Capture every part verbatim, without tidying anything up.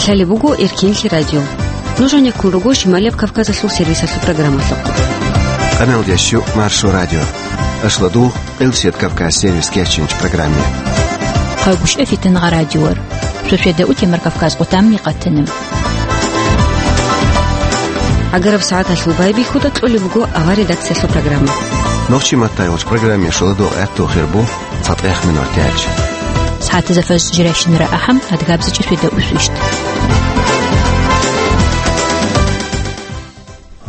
Лъалеб буго Эркенлъи радио. Нуж гьанеккун руго Шималияб Кавказалъул сервисалъул программалъухъ. Къаналдящу Маршо радио. Ашладу Элсет Кавказ сервис кечинч программе. Хъагушев Фитнагъа радиор. Шошеда утемар Кавказ къутам микъатана. Агараб сагӀаталъул байбихьуда кьолеб буго авар редакциялъул программа. Нохчи маттайгъуч программе шоладо гӀатту хирбу. ЦатӀехъ минут гьечӀ. СагӀатазда фажр жирайщинара ахӀам, адгабзичӀеб светда усвищт.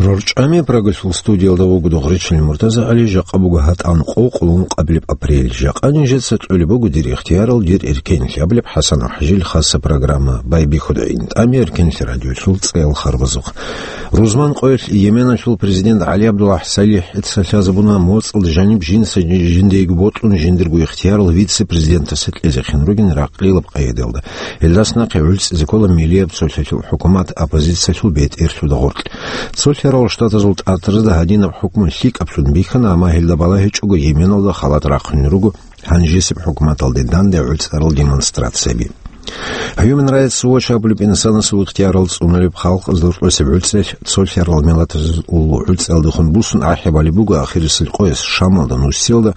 РорчӀами Прагалъул студиялда вуго Дугъричил Муртазагьали, жакъа буго гьатӀан къо, къоло ункъабилеб апрель. Жакъа нижеца кьолеб буго дир ихтиярал, дир эркенлъи абулеб ХӀасан ХӀажил хаса программа. Байбихьуда интӀами Эркенлъи радиолъул цӀеял харбазухъ. Рузман къоялъ Йеменалъул президент ГӀали ГӀабдуллахӀ СалихӀица лъазабуна моцӀалда жаниб жинца жиндиего бокьун жиндирго ихтиярал вице-президентасе кьезехъин ругин ракълилаб къайдаялда. Гьелдас нахъе гӀуцӀизе ккола миллияб цолъалъул хӀукумат оппозициялъул бетӀерлъуда гъоркь. Цолъарал Штатазул ТӀатразда гьадинаб хӀукму лъикӀаблъун бихьана, амма гьелда балагьичӀого Йеменалда халат рахъунел руго гьанжесеб хӀукуматалде данде гӀуцӀарал демонстрацияби. Human Rights Watch абулеб инсанасул ихтиярал цӀунулеб халкъ дуртӀосеб гӀуцӀелъ цолъарал миллатазул гӀуцӀиялдехун бусун ахӀи балеб буго ахирисел къояс Шамалда нусиялда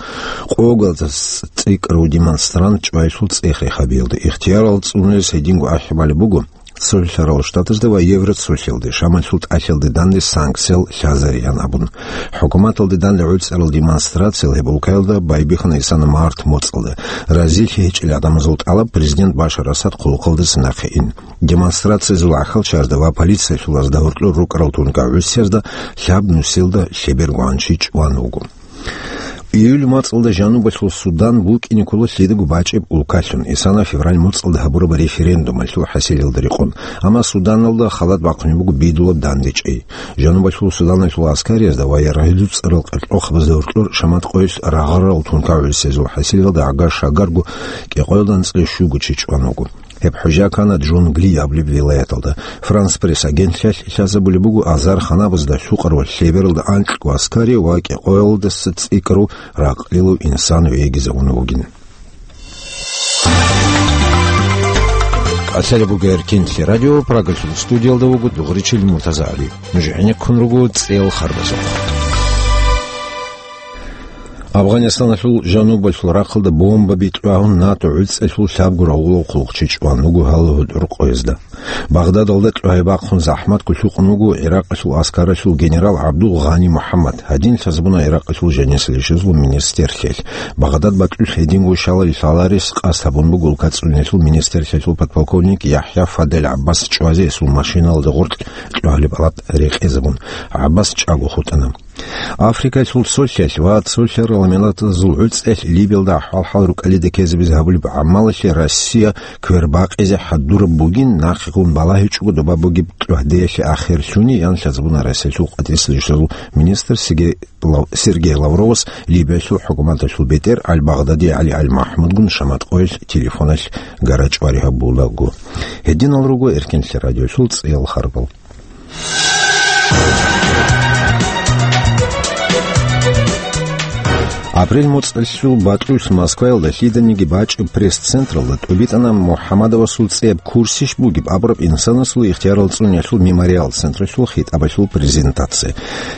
къоялдаса цӀикӀкӀарав демонстрант чӀвайлъул цӀех рехабиялда. Ихтиярал цӀунулес гьединго ахӀи балеб буго Цолъарал Штатазда ва Евроцолъиялде, Шамалъул тӀалъиялде данде санкциял лъазариан абун. ХӀукуматалде данде гӀуцӀарал демонстрациял гьеб улкаялда байбихьана исана март моцӀалда. Разилъи гьечӀел гӀадамазул тӀалаб президент Башар Асад хъулухъалдаса нахъе ин. Демонстрациязул гӀахьалчаразда ва полициялъул азда гьоркьор рукӀарал тункагӀусиязда лъаб нусилда лъеберго гӀанчи чӀван вуго. Июль моцӀалда жанубалъул Судан букӀине ккола лъидаго бачӀеб улкалъун, исана февраль моцӀалда гьабураб референдумалъул хӀасилалда рекъон. Амма Суданалда халат бахъунеб буго бидулаб дандечӀей. Жанубалъул Суданалъул аскариязда ва ярагъ-гӀуцӀарал къеркьохабазда гьоркьор Шамат къоялъ рагъарал тункагӀусиязул хӀасилалда гӀага шагарго кӀикъоялда анцӀила щуго чи чӀван вуго. Гьеб хӀужа ккана Джунгли абулеб вилаяталда. Франс Пресс агентлъиялъ лъазабулеб буго, азар ханабазда лъукъарал лъебералда анкьго аскари ва кӀикъоялдаса цӀикӀкӀарав ракълилав инсан вегизавун вугин. Лъалеб буго Эркенлъи радио, Прагалъул студиялда вуго Дугъричил Муртазагьали. Нуж гӀенеккун руго цӀеял харбазухъ. Афганистаналъул жанубалъул рахъалда бомбаби кьвагьун, НАТО гӀуцӀалъул лъабго рагъулав хъулухъчи чӀван вуго гьале гьудул къоязда. Багъдадалда кьвагьи бахъун захӀматго лъукъун вуго ГӀиракъалъул аскаралъул генерал ГӀабдул Гъани МухӀаммад, гьадин лъазабуна ГӀиракъалъул жанисел ишазул министрлъиялъ. Багъдад бакьулъ гьединго шалал лъаларес къасд гьабун буго улка цӀуниялъул министрлъиялъул подполковник ЯхӀя Фадель ГӀаббас чӀвазе гьесул машиналда гъоркь кьвагьалеб алат рекъезабун. ГӀаббас чӀаго хутӀана. Африкалъул цолъиялъ ва цолъарал миллатазул гӀуцӀелъ Либиялда ахӀвал-хӀал рукӀалида ккезабизе гьабулеб гӀамалалъе Россия квербакъизе хӀадураб бугин, нахъегун балагьичӀого доба бугеб кьвагьдеялъе ахир лъугьине, ян лъазабуна Россиялъул къватӀирасул ишлазул министр Сергей Лав-, Сергей Лавровас Либиялъул хӀукуматалъул бетӀер Аль-Багъдади ГӀали Аль-МахӀмудгун Шамат къоялъ телефоналъ гара-чӀвари гьабулаго. Гьединал руго Эркенлъи радиолъул цӀеял харбал. Апрель моцӀалъул бакьулъ Москваялда лъиданиги бачӀеб пресс-централда тӀубитӀана МухӀаммадовасул цӀияб курсищ бугеб абураб инсанасул ихтиярал цӀуниялъул мемориал централъул хитӀабалъул презентация.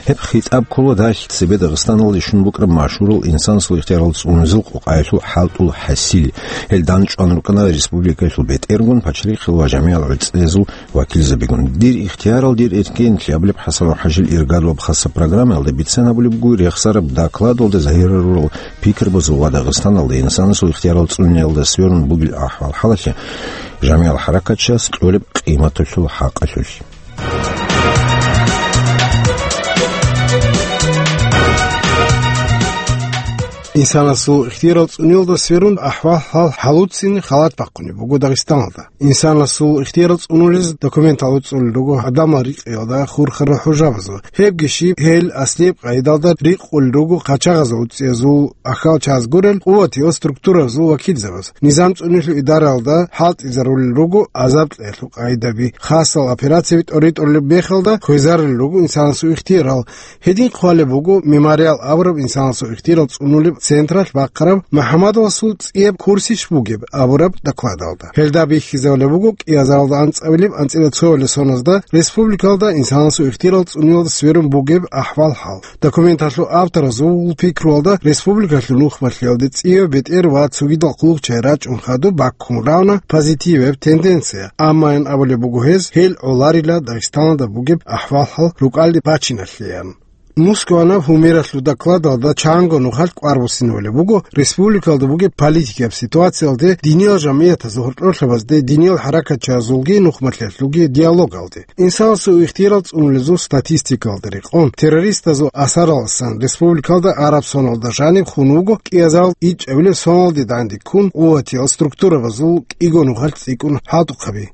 Гьеб хитӀаб ккола далъ цебе Дагъистаналде щун букӀараб машгьурал инсанасул ихтиярал цӀунезул къокъаялъул хӀалтӀул хӀасил. Гьел данчӀван рукӀана республикаялъул бетӀергун, пачрихъел ва жамигӀал гӀуцӀиязул вакилзабигун. «Дир ихтиярал, дир эркенлъи» абулеб ХӀасан ХӀажил иргадулаб хаса программаялда бицен гьабулеб буго рехсараб докладалда загьирарурал пикрубазул ва Дагъистаналда инсанасул ихтиярал цӀуниялда сверун бугел ахӀвал-хӀалалъе, жамигӀал хӀаракатчияс кьолеб къиматалъул хӀакъалъулъ. Инсанасул ихтиярал цӀуниялда сверун ахӀвал-хӀал хӀалуцин халат бахъунеб буго Дагъистаналда. Инсанасул ихтиярал цӀунулез документал уцӀулел руго гӀадамал рикьиялда хурхарал хӀужабазул. Гьебги щиб, гьел аслияб къайдалда рикъулел руго къачагъазул уцӀиязул, ахал чаз гурел къуватиял структуразул вакилзабаз. Низам цӀунилъул идаралда хӀалтӀизарулел руго азаб кьеялъул къайдаби. Хасал операцияби тӀоритӀулеб мехалда хвезарулел руго инсанасул ихтиярал. Гьедин хъвалеб буго мемориал абураб инсанасул ихтиярал цӀунулеб централъ бахъараб МухӀаммадовасул цӀияб курсищ бугеб абураб докладалда. Гьелда бихьизабулеб буго кӀиазаралда анцӀабилеб анцӀила цоялъ соназда республикалда инсанасул ихтирал цӀунулалда сверун бугеб ахӀвал-хӀал. Документалъул авторазул пикруялда республикалъул нухмалъиялде цӀияб бетӀер ва цогидал хъулухъчагӀи рачӀун хадуб баккун равна позитиваб тенденция, амма ин абулеб буго гьез, гьел гӀоларила Дагъистаналда бугеб ахӀвал-хӀал рукӀалде бачиналъеян. Мускаванаб гьумералъул докладалда чанго нухалъ кӀвар буссинабулеб буго республикалда бугеб политикаб ситуациялде, диниял жамгӀиятазул гьоркьорлъабазде, диниял хӀаракатчаразулги нухмалъиялъулги диалогалде. Инсанасул ихтирал цӀунулезул статистикалда рекъон, террористазул асараласан республикалда араб соналда жаниб хун вуго кӀиазал ичӀабилеб соналде данде ккун, къуватиял структурабазул кӀиго нухалъ цӀикӀкӀун хӀалтӀухъаби.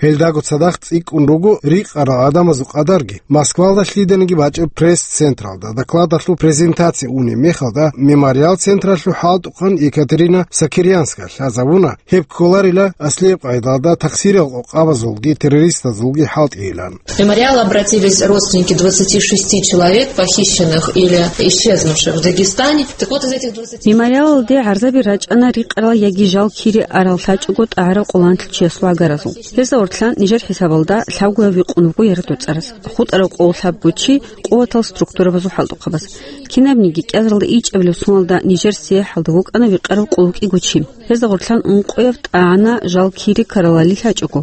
Гьелдаго цадахъ цӀикӀкӀун руго рикъарал гӀадамазул къадарги. Москвалда лъиданиги бачӀеб пресс-централда докладалъул презентация унеб мехалда Мемориал централъул хӀалтӀухъан Екатерина Сокирянская лъазабуна, гьеб кколарила аслияб къайдалда такъсирал къокъабазулги террористазулги хӀалтӀийилан. В мемориал обратились родственники двадцати шести человек, похищенных или исчезнувших в Дагестане. Так вот, из этих двадцати... Мемориалалде гӀарзаби рачӀана рикъарал яги жал кире арал лъачӀого тӀагӀарал къоланлъичиясул гӀагаразул. Гьезда гъорлъан нижер хӀисабалда лъабгояб вихъун вуго яратуцӀарас, хутӀарав къоллъабго чи къуватал структурабазул хӀалтӀухъабаз. Кинабниги кӀиазаралда ичӀабилеб соналда нижер цӀехӀалда вукӀана вихъарав къуллукъиго чи. Гьезда гъорлъан ункъояб тӀагӀана жал кире ккаралали лъачӀого.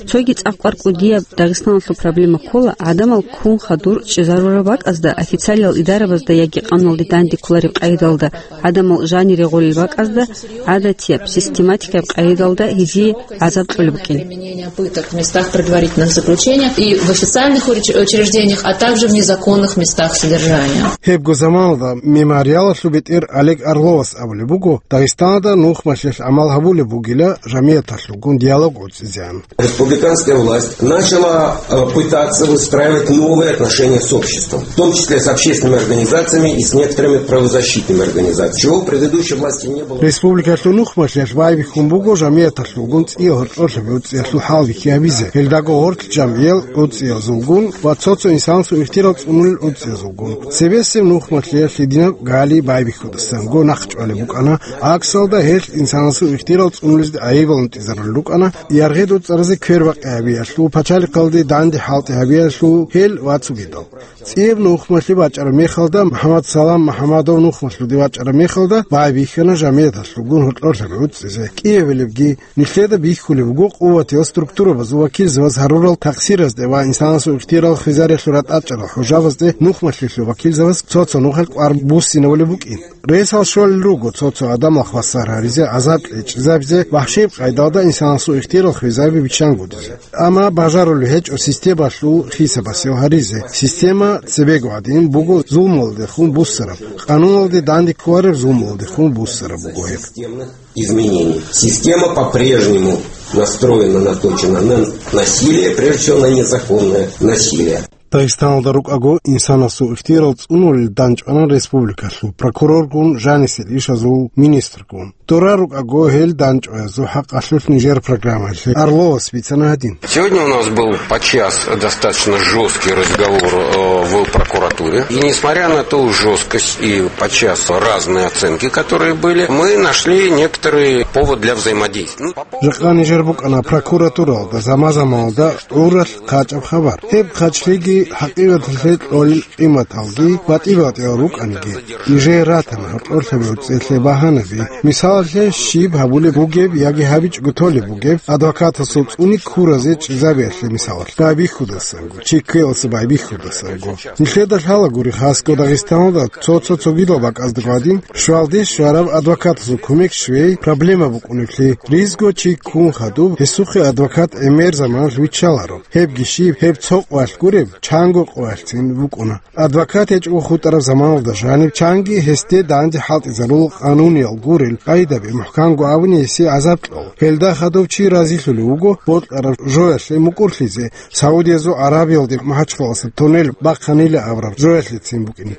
Цоги цӀакъ кӀвар кӀудияб Дагъистаналъул проблема ккола, гӀадамал ккун хадур чӀезарураб бакӀазда, официалиял идарабазда яги къануналде данде кколареб къайдалда гӀадамал жанире гъолел бакӀазда, гӀадатияб, систематикаб къайдалда гьезие гӀазаб кьолеб букӀин. Применение пыток в местах предварительных заключений и в официальных уч-, учреждениях, а также в незаконных местах содержания. Гьебго заманалда Мемориалалъул бетӀер Олег Орловас абулеб буго, Дагъистаналда нухмалъиялъ гӀамал гьабулеб бугила жамгӀияталъулгун диалог гӀуцӀизеян. Республиканская власть начала, э, пытаться выстраивать новые отношения с обществом, в том числе с общественными организациями и с некоторыми правозащитными организациями, чего у предыдущей власти не было. Республикалъул нухмалъиялъ байбихьун буго жамгӀияталъулгун цӀия гьоркьорлъаб гӀуцӀиялъул хӀалбихьи гьабизе. Гьелдаго гъорлъ жамгӀиял гӀуцӀиязулгун ва цо-цо инсанасул ихтирал цӀунулел гӀуцӀиязулгун. Цебесеб нухмалъиялъ гьединаб гали байбихьудасанго нахъ чӀвалеб букӀана, гӀаксалда гьелъ инсанасул ихтирал цӀунулезде гӀайибал унтӀизарулел рукӀана, яргъи доцӀаразе квербакъи гьабиялъул, пачалихъалде данде хӀалтӀи гьабиялъул гьел ва цогидал. ЦӀияб нухмалъи бачӀараб мехалда, МухӀаммад Салам МухӀаммадов нухмалъуде вачӀараб мехалда, байбихьана жамгӀияталъулгун гьоркьорлъаб гӀуцӀизе. КӀиабилебги, нилъеда бихьулеб буго къуватиял структурабазул вакилзабаз гьарурал такъсиразде ва инсанасул ихтирал хвезариялъул ратӀачӀарал хӀужабазде нухмалъиялъул вакилзабаз цо-цо нухалъ кӀвар буссинабулеб букӀин. Ресал щолел руго цо-цо гӀадамал хвасар гьаризе, гӀазаб кьечӀезабизе, вахӀшиб къайдалда инсанасул ихтирал хвезаби биччангутӀизе. Амма бажарулеб гьечӀо системалъул хисабасев гьаризе. Система цебего гӀадин буго зулмуялдехун буссараб, къануналде данде кколареб зулмуялдехун буссараб буго гьеб. Изменений. Система по-прежнему настроена, наточена на насилие, прежде всего на незаконное насилие. Дагъистаналда рукӀаго инсанасул ихтирал цӀунулел данчӀвана республикалъул прокуроргун жанисел ишазул министргун. Дора рукӀаго гьел данчӀваязул хӀакъалъулъ нижер программаялъе Орловас бицана гьадин. Сегодня у нас был подчас достаточно жесткий разговор, э, в прокуратуре. И несмотря на ту жесткость и подчас разные оценки, которые были, мы нашли некоторый повод для взаимодействия. Ну, по поводу... Жакъа нижер букӀана прокуратуралда заман-заманалда гӀуралъ хъачӀаб хабар. Гьеб хъачлъиги хӀакъикъаталъе кьолел къиматалги батӀи-батӀиял рукӀаниги, нижее ратана гьоркьорлъаб гӀуцӀиялъе багьанаби. Мисалалъе, щиб гьабулеб бугеб яги гьабичӀого толеб бугеб, адвокатасул цӀуни ккуразе чӀезабиялъе мисалалъ, байбихьудасанго, чи ккеласа байбихьудасанго. Нилъеда лъалагури, хасго Дагъистаналда цо-цо цогидал бакӀазда гӀадин, щвалде щвараб адвокатасул кумек щвей проблема букӀунеблъи. Ризго чи ккун хадуб, гьесухъе адвокат гӀемер заманалъ виччаларо. Гьебги щиб, гьеб цо къвалъ гуреб, чанго къвалъцин букӀуна. Адвокат гьечӀого хутӀараб заманалда жаниб чанги гьесде данде хӀалтӀизарул къануниял гурел къайдаби, мухӀканго абуни гьесие гӀазаб кьол. Гьелда хадув чи разилъулев вуго бокьараб жоялъе мукӀурлъизе, Саудиязул Аравиялде МахӀачхъаласа туннел бахъанила абураб жоялъецин букӀине.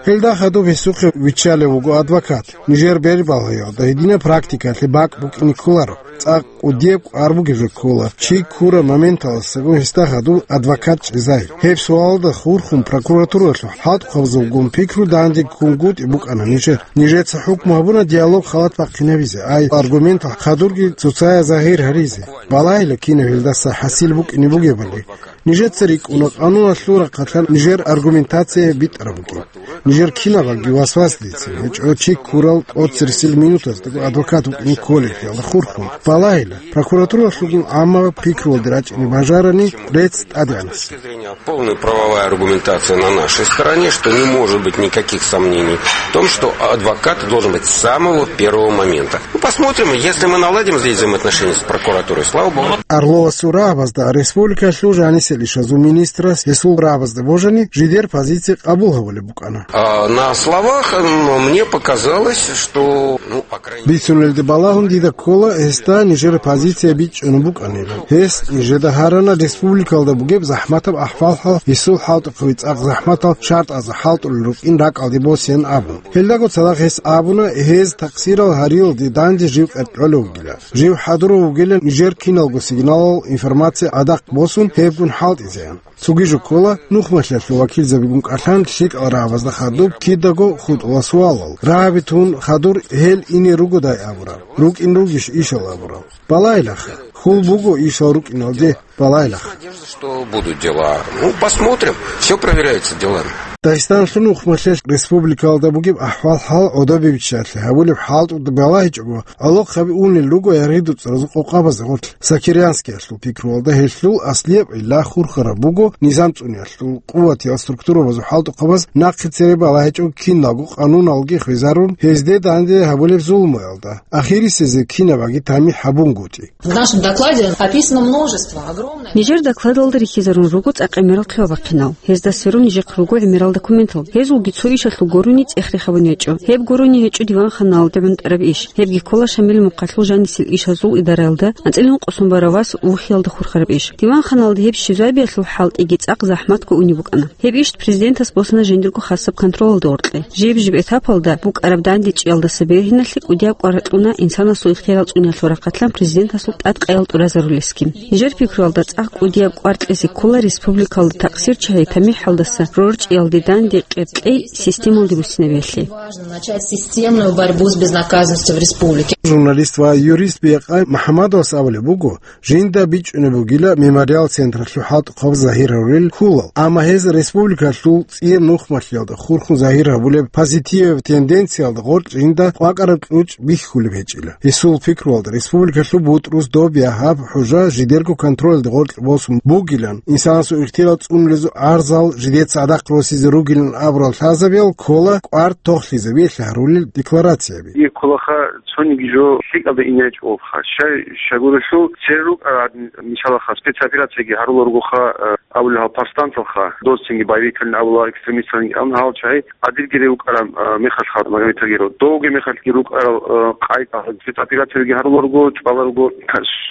Гьелда хадуб гьесухъе виччалев вуго адвокат. Нижер бербалгьаялда гьединаб практикалъе бакӀ букӀине кколаро. цӀакъ кӀудияб кӀвар бугеб жо ккола, чи ккураб моменталдасаго гьесда хадуб адвокат чӀезай. Гьеб суалда хурхун прокуратуралъул хӀалтӀухъабазулгун пикру данде ккунгутӀи букӀана нижер. Нижеца хӀукму гьабуна диалог халат бахъинабизе, ай аргументал хадурги цоцая загьир гьаризе. Балагьила кинаб гьелдаса хӀасил букӀине бугебали. Нижеца рикӀкӀуна къануналъул рахъалъан нижер аргументация битӀараб букӀин. Нижер кинабалги васвасдицин гьечӀо чи ккурал тӀоцерсил минутаздаго адвокат вукӀине кколелъиялда хурхун. Балагьила, прокуратуралъулгун гӀаммаб пикруялде рачӀине бажарани рецц тӀадегӀанасеб. Полная правовая аргументация на нашей стороне, что не может быть никаких сомнений в том, что адвокат должен быть с самого первого момента. Ну, посмотрим, если мы наладим здесь взаимоотношения с прокуратурой, слава богу. Арловасул рагӀабазда республикалъул жанисел ишазул министрас гьесул рагӀабазда божани жидер позиция къабул гьабулеб букӀана. А на словах, м, мне показалось, что, ну, по крайней мере... Бицунелде балагьун дида ккола, гьесда нижер позиция бичӀчӀун букӀанила. Гьес нижеда гьарана республикалда бугеб захӀматаб ахӀвал-хӀал, гьесул хӀалтӀухъаби цӀакъ захӀматал шартӀазда хӀалтӀулел рукӀин ракӀалде босеян абун. Гьелдаго цадахъ гьес абуна, гьез такъсирал гьариялде данде жив къеркьолев вугила. Жив хӀадурав вугилан нижер киналго сигналал информация гӀадахъ босун, гьебгун хӀалтӀизеян. Цоги жо ккола, нухмалъиялъул вакилзабигун кӀалъан лъикӀал рагӀабазда хадуб кидаго хутӀула суалал. РагӀаби тун хадур гьел ине ругодай абураб, рукӀин ругищ ишал абурал. Балагьилаха, хьул буго ишал рукӀиналде, балагьилаха. Надежда, что будут дела. Ну, посмотрим. Всё проверяется делами. Дагъистаналъул нухмалъиялъ республикалда бугеб ахӀвал-хӀал гӀодобе биччалъе гьабулеб хӀалтӀуда балагьичӀого, гӀолохъаби унел руго яргъи-дуцӀаразул къокъабазда гъорлъ. Сокирянскиялъул пикруялда гьелъул аслияб гӀилла хурхараб буго низам цӀуниялъул къуватиял структурабазул хӀалтӀухъабаз нахъе цере балагьичӀого киналго къануналги хвезарун, гьезде данде гьабулеб зулмуялда. Ахирисезе кинабаги тамихӀ гьабунгутӀи. В нашем докладе описано множество, огромное... Нижер докладалда рихьизарун руго цӀакъ гӀемерал хъибабахъинал. Гьезда сверун нижехъ руго гӀемерал документал. Гьезулги цо ишалъул гурони цӀех рехабун гьечӀо. Гьеб гурони гьечӀо диванханалде гӀунтӀараб иш. Гьебги ккола Шамил Мухъалъул жанисел ишазул идараялда анцӀила ункъо сон барав вас вухиялда хурхараб иш. Диванханалда гьеб щвезабиялъул хӀалтӀиги цӀакъ захӀматго унеб букӀана. Гьеб иш президентас босана жиндирго хасаб контролалда гъоркье. Жиб-жиб этапалда букӀараб дандечӀиялдаса бергьиналъе кӀудияб кӀвар ракьуна инсанасул ихтияр цӀуниялъул рахъалъан президентасул тӀадкъаял тӀуразарулесги. Нижер пикруялда цӀакъ кӀудияб кӀвар кьезе ккола республикалда такъсир чагьи тамихӀалдаса рорчӀиялде данде къеркьей системалде буссинабиялъе. Важно начать системную борьбу с безнаказанностью в республике. Журналист ва юрист Биякъай МухӀаммадовас абулеб буго, жинда бичӀчӀунеб бугила Мемориал централъул хӀалтӀухъаб загьир гьарулел хьулал, амма гьез республикалъул цӀияб нухмалъиялда хурхун загьир гьабулеб позитиваб тенденциялда гъоркь жинда къвакӀараб кьучӀ бихьулеб гьечӀила. Гьесул пикруялда, республикалъул бутӀрус доб я гьаб хӀужа жидерго контролалда гъоркь босун бугилан, инсанасул ихтияр цӀунулезул гӀарзал жидеца гӀадахъ росизе ругилан абурал лъазабиял ккола кӀвар тохлъизабиялъе гьарулел декларацияби. Ир кколаха цониги жо лъикӀалда ине гьечӀолха. Щай, щайгурелъул цере рукӀарал, мисалаха, спецоперацияги гьарулел ругоха, э, абулел гьал повстанцалха, дос цинги боевикалин абула, экстремисталин абун гьал чагӀи адилги рукӀарал, э, мехалъха, Магомед Тагиров. Довги мехалъги рукӀарал, э, къайда спецоперациялги гьарулел руго, чӀвалел руго,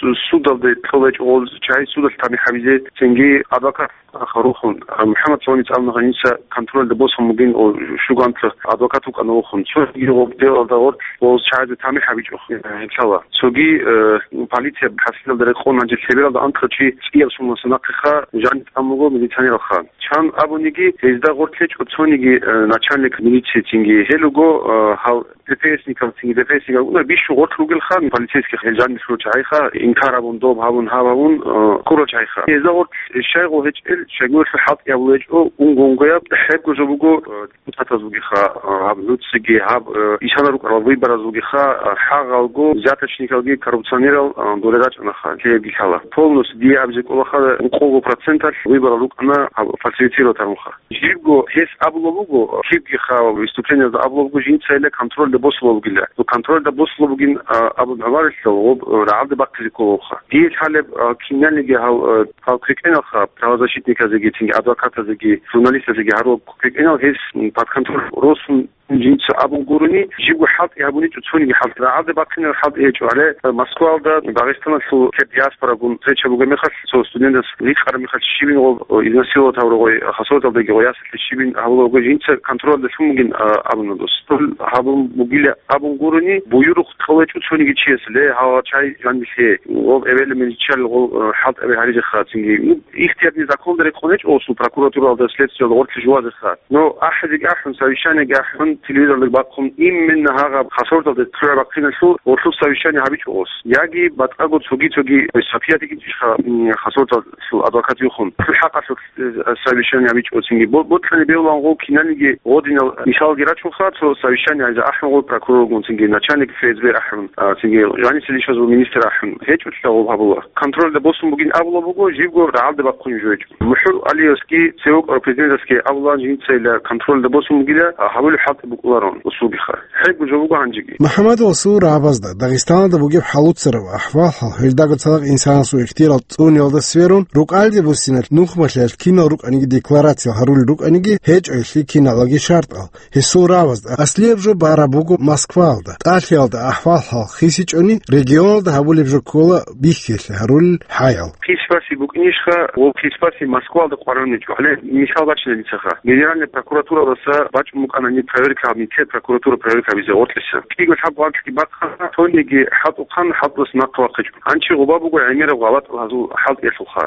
су-, судалде кьола гьечӀо гъол чагӀи, судалъ тамихӀ гьабизе, цинги адвокат Аха, рухун, а, МухӀаммад Саламица абуна гьаниса контрольда босун бугин, о, шугантла адвокат вукӀана вухун. Цоги гъоб делалда гъоркь ва чагӀазе тамихӀ гьабичӀо, э, гьеб лъала. Цоги, э, полиция хӀасилалда рекъон гьанже лъебералда анкьа чи цӀияб сумлъа нахъеха жаниб тӀамун буго милиционералха. Чан абуниги, гьезда гъоркь гьечӀо цониги, э, начальник милиции цинги. Гьел руго, э, гьал ДПСникал цинги, ДПСникал уна бищун гъоркь ругелха, полицейский гьел жаниб лъурал чагӀиха, инкар гьабун, доб гьабун, гьаб гьабун, э, ккурал чагӀиха. Гьезда гъоркь щайгъо гьечӀел, щайгурелъул хӀалтӀи гьабулеб гьечӀо, унго-унгояб хӀебго жо буго, э, депутатаз бугеха, э, гьаб нуцаги, гьаб, э, ишана рукӀарал выбораз бугеха, э, хӀагъалго, взяточникалги, коррупционерал, э, доле рачӀунаха, лъебги лъала. Полностью дие абизе кӀолаха, ункъого проценталъ выборал рукӀана гьаб фальсифицировать гьарунха. Жибго гьес абулеб буго, кибги хъа выступлениязда абулеб буго, жинцайилан контрольда босулеб бугила. Ну, контрольда босулеб бугин, а, абун гӀумарилъал гъоб, э, рагӀалде бахъизе кколебха. Дие лъалеб, а, киналниги гьал, э, гьал квекӀеналха, правозащитниказеги, цинги адвокатазеги, журналистазеги гьарулеб квекӀенал гьес, м, под контроль росун, Жинца абун гурони, жибго хӀалтӀи гьабуничӀо, цониги хӀалтӀи, рагӀалде бахъинаб хӀалтӀи гьечӀо. Гьале Москвалда Дагъистаналъул кьер диаспорагун встреча бугеб мехалъ, цо студентас рикӀкӀараб мехалъ щибин гъоб, о, изнасиловать гьавургъой, хасаваталдаги гъой ясалъе щибин гьабулаго, жинца контролда лъун бугин, а, абуна дос. Гьабун бугила абун гурони, буюрухъ кьолечӀо цониги чияс, ле, гьава чай жанилъе, гъоб эбел-мел чиял гъол, э, хӀалтӀаби гьаризеха цинги. Ну, ихтияр незаконда рекъон гьечӀо осул прокуратуралда, следствиялда гъорлъе жувазеха. Но ахӀизеги ахӀун, совещаниеги ахӀун, телевизорлъи бахъун, именно гьагъаб хасаваталда лъугӀа бахъиналъул гъорлъул совещание гьабичӀо ос. Яги батӀаго цоги-цоги, ой, Сапиятиги ишха, м, хасаваталъул адвокат юхун. Цо хӀакъалъулъ, э, совещание гьабичӀо цинги. Бо-, боцӀани бевлан гъов киналниги гъодинал мисалги рачунха, цо совещание гьайза ахӀун гъов прокуроргун цинги, начальник Ф С Б ахӀун, а, цинги, жанисел ишазул министр ахӀун. ГьечӀолъа гъов гьабула. Контрольда босун бугин абула буго, жибго рагӀалде бахъун жо гьечӀо. МухӀул Алиевский цевукъ президентасги абулан жинцайила контрольда босун бугила, а, гьабулеб хӀалтӀи букӀуларон усулгиха. ХӀего жо буго гьанжеги. МухӀаммад Расул рагӀабазда Дагъистаналда бугеб хӀалуцараб ахӀвал-хӀал, гьелдагацалда инсанасул ихтияр цӀуниялда сверун, рукӀалде буссиналъ нухмалъиялъ кинал рукӀаниги декларациял гьарулел рукӀаниги гьечӀо гьелъие киналги шартӀал. Гьесул рагӀабазда аслияб жо бараб буго Москваялда. ТӀалъиялда ахӀвал-хӀал хисичӀони, регионалда гьабулеб жо ккола бихьиялъе гьарулел хӀаял. Хисбаси букӀинищха, ва хисбаси Москвалда къваригӀунчӀо. Гьале мисал бачина дицаха. Генеральная прокуратурадаса бачӀун букӀана гьаниб проверка, гьаб нилъер прокуратура проверка гьабизе гъоркьиса. КӀиго лъабго анкьги бахъана, цониги хӀалтӀухъан хӀалтӀулъ нахъа вахъичӀо. Гьанчи гъуба буго гӀемераб гъалатӀал гьазул хӀалтӀиялъулха.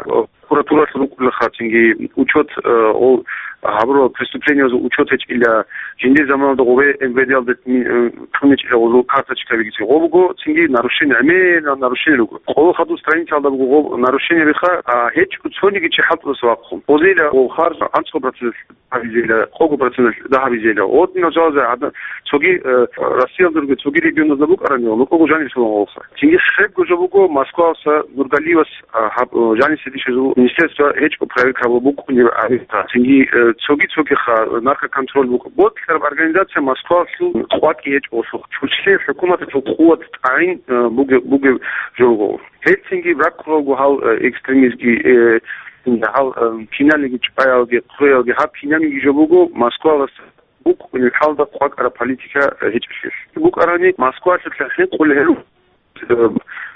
Прокуратуралъ рукӀулахъа цинги учет, э, о, гьабурал преступлениязул учет гьечӀила, жиндир заманалда гъубе М В Д-алда, э, кьунечӀила гъузул карточкабиги цин гъо буго, цинги нарушение, гӀемерал нарушение руго. Къоло хадуб страницалда буго гъоб нарушение биха, а, гьечӀо цониги чи хӀалтӀулъ вахъун. Гъозейила гъов харж анцӀго процент гьабизейила, къого процент дагь гьабизейила. Гъодинал жалазе гӀадна-, цоги, э, Россиялда руго, цоги регионазда букӀарани, лукӀого жаниб лъугьун гъолха. Цинги хӀебго жо буго Москвалса Нургалиевас, а, гьаб-, о, жанисе дишезул министерство гьечӀо проверка гьабу букӀунеб гьабиха. Цинги, э, цоги-цогиха наркоконтроль букӀ-, боцӀараб организация Москвалъул къвакӀи гьечӀолъухъ. Чучелъе хӀукуматалъул къуват тӀагӀин, э, буге-, бугеб жо буго. Гьелцинги раккулалго гьал, э, экстремизмги, э, гьал, э, киналниги чӀваялги, хъуялги гьаб кинабниги жо буго Москвалас букӀунеб хӀалда къвакӀараб политика гьечӀелъул. БукӀарани Москвалъулъа хӀинкъулел гьел, э,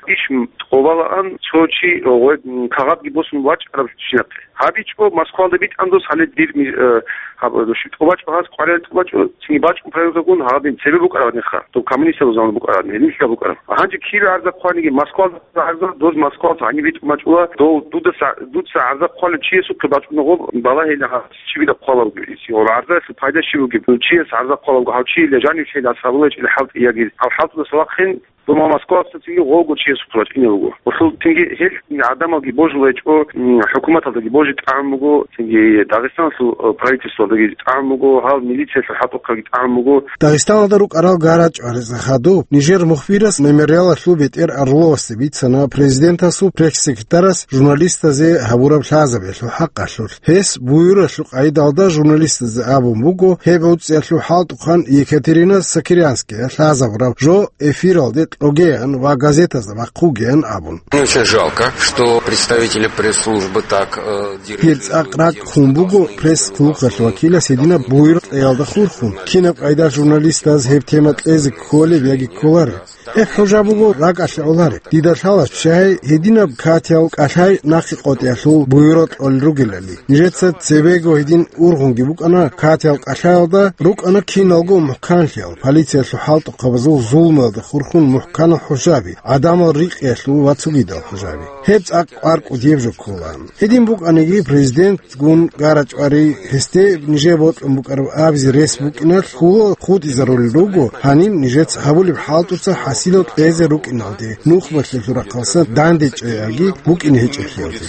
иш тӀобалаан цо чи, э, гъой, м, кагъатги босун вачӀараб чинахъе. ГьабичӀо Москвалда битӀан дос гьале дир ми-, э, гьаб-, э, тӀобачӀо гьаз, къваригӀел тӀобачӀо, цинги бачӀун проверкагун гьадин цебе букӀараб гьеха. Доб коммунистазул заман букӀараб гьединлъа букӀараб. Гьанже кибе гӀарза хъваниги Москвалда гӀарза, доз Москвалда гьаниб битӀун бачӀула, дов дудаса, дуца гӀарза хъвалев чиясухъе бачӀуна гъоб балагьила гьас. Чи бида хъвалавги, исигъо гӀарзаялъул пайда щиб бугеб? Чияс гӀарза хъвалавго, гьав чи ила жанив чейил асабулечӀила хӀалтӀи яги. Гьав хӀалтӀудаса вахъин, дома Москвалъа цинги гъолго чиясухъе бачӀине буго. Гъолъул цинги гьел гӀадамалги божулайчӀо, м, хӀукуматалдаги божи тӀагӀун буго, цинги Дагъистаналъул, э, правительствалдаги тӀагӀун буго, гьал милициялъул хӀатӀухъаги тӀагӀун буго. Дагъистаналда рукӀарал гарачӀвариза хадуб нижер мухбирас мемориалалъул бетӀер Орловасде бицана президентасул пресс-секретарас журналистазе гьабураб лъазабиялъул хӀакъалъулъ. Гьес буюралъул къайдалда журналистазе абун буго, гьеб гӀуцӀиялъул хӀалтӀухъан Екатерина Сокирянская лъазабураб жо эфиралде кьогеян ва газетазда бахъугеян абун. Очень жалко, что представители пресс-службы так, э, директируют. Гьел цӀакъ ракӀ хун буго пресс-клубалъ вакилас гьединаб буюр кьеялда хурхун, кинаб къайда журналистаз гьеб тема кьезе кколеб яги кколареб. Эх, хӀужа буго, ракӀалъе гӀоларе. Дида лъала, щай гьединаб катиял кӀалъай нахъе къотӀиялъул буюрал кьолел ругелали. Нижеца цебего гьедин ургъунги букӀана, катиял кӀалъаялда рукӀана киналго мухӀканлъиял, полициялъул хӀалтӀухъабазул зулмуялда хурхун мухӀканал хӀужаби, гӀадамал рикъиялъул ва цогидал хӀужаби. Гьеб цӀакъ къваркӀуд гьеб жо ккола. Гьедин букӀаниги, президент гун гарачӀвари, гьесде нижее бокьун букӀараб абизе рес букӀиналъ хьула хутӀизарулел руго, гьаниб нижеца гьабулеб хӀалтӀуца хӀасилал кьезе рукӀиналде, нухмалъиялъул рахъалъа дандечӀеяги букӀине гьечӀелъиялде.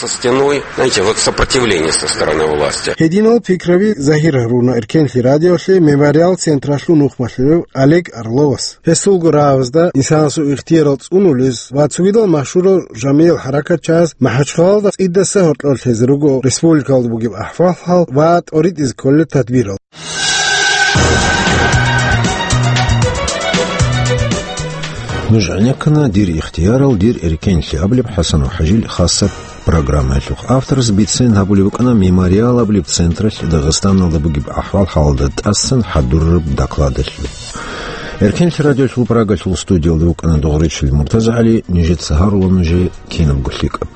Со стеной, знаете, вот сопротивление со стороны власти. Гьединал пикраби загьир гьаруна Эркенлъи радиолъе Мемориал централъул нухмалъулев Олег Орловас. Гьесулго рагӀабазда инсанасул ихтиярал цӀунулез ва цогидал машгьурал жамигӀал хӀаракатчияз МахӀачхъалалда цӀидаса гьоркьор лъезе руго республикалда бугеб ахӀвал-хӀал ва тӀоритӀизе кколел тадбирал. Нуж гӀенеккана «Дир ихтиярал, дир эркенлъи» абулеб ХӀасанов ХӀажил хасаб программаялъухъ. Авторас бицен гьабулеб букӀана Мемориал абулеб централъ Дагъистаналда бугеб ахӀвал-хӀалалда тӀасан хӀадурараб докладалъул. Эркенлъи радиолъул Прагалъул студиялда вукӀана Дугъричил МуртазагӀали, нижеца гьарула нужее кинабго лъикӀаб.